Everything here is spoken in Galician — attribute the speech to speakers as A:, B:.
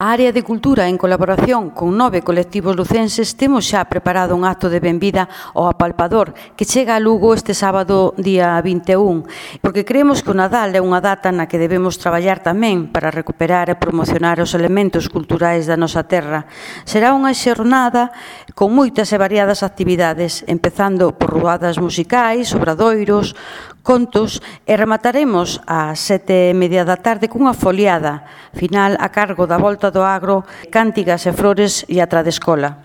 A: A área de Cultura, en colaboración con 9 colectivos lucenses, temos xa preparado un acto de benvida ao Apalpador que chega a Lugo este sábado día 21, porque creemos que o Nadal é unha data na que debemos traballar tamén para recuperar e promocionar os elementos culturais da nosa terra. Será unha xornada con moitas e variadas actividades, empezando por ruadas musicais, obradoiros, contos, e remataremos ás 7:30 da tarde cunha foliada final a cargo da Volta do Agro, Cántigas e Flores e a Tradescola.